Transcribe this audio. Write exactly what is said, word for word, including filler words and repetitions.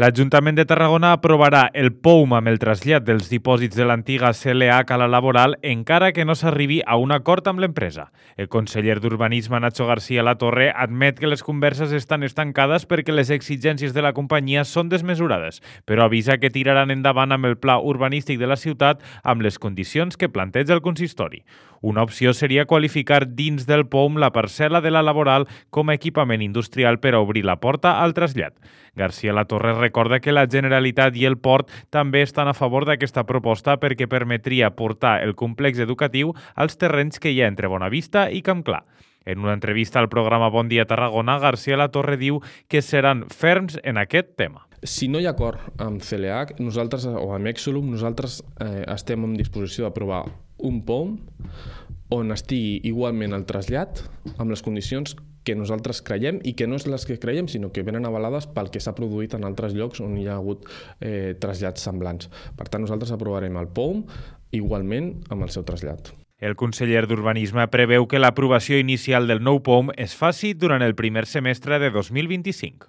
L'Ajuntament de Tarragona aprovarà el P O U M amb el trasllat dels dipòsits de l'antiga C L H a la laboral encara que no s'arribi a un acord amb l'empresa. El conseller d'Urbanisme, Nacho García Latorre, admet que les converses estan estancades perquè les exigències de la companyia són desmesurades, però avisa que tiraran endavant amb el pla urbanístic de la ciutat amb les condicions que planteja el consistori. Una opció seria qualificar dins del P O U M la parcel·la de la laboral com a equipament industrial per a obrir la porta al trasllat. García Latorre recorda que la Generalitat i el Port també estan a favor d'aquesta proposta perquè permetria portar el complex educatiu als terrenys que hi ha entre Bonavista i Campclar. En una entrevista al programa Bon Dia Tarragona, García Latorre diu que seran ferms en aquest tema. Si no hi ha acord amb C L H nosaltres, o amb Exolum, nosaltres eh, estem en disposició d'aprovar un P O U M on estigui igualment el trasllat amb les condicions que nosaltres creiem i que no és les que creiem, sinó que venen avalades pel que s'ha produït en altres llocs on hi ha hagut eh, trasllats semblants. Per tant, nosaltres aprovarem el P O U M igualment amb el seu trasllat. El conseller d'Urbanisme preveu que l'aprovació inicial del nou P O U M es faci durant el primer semestre de dos mil vint-i-cinc.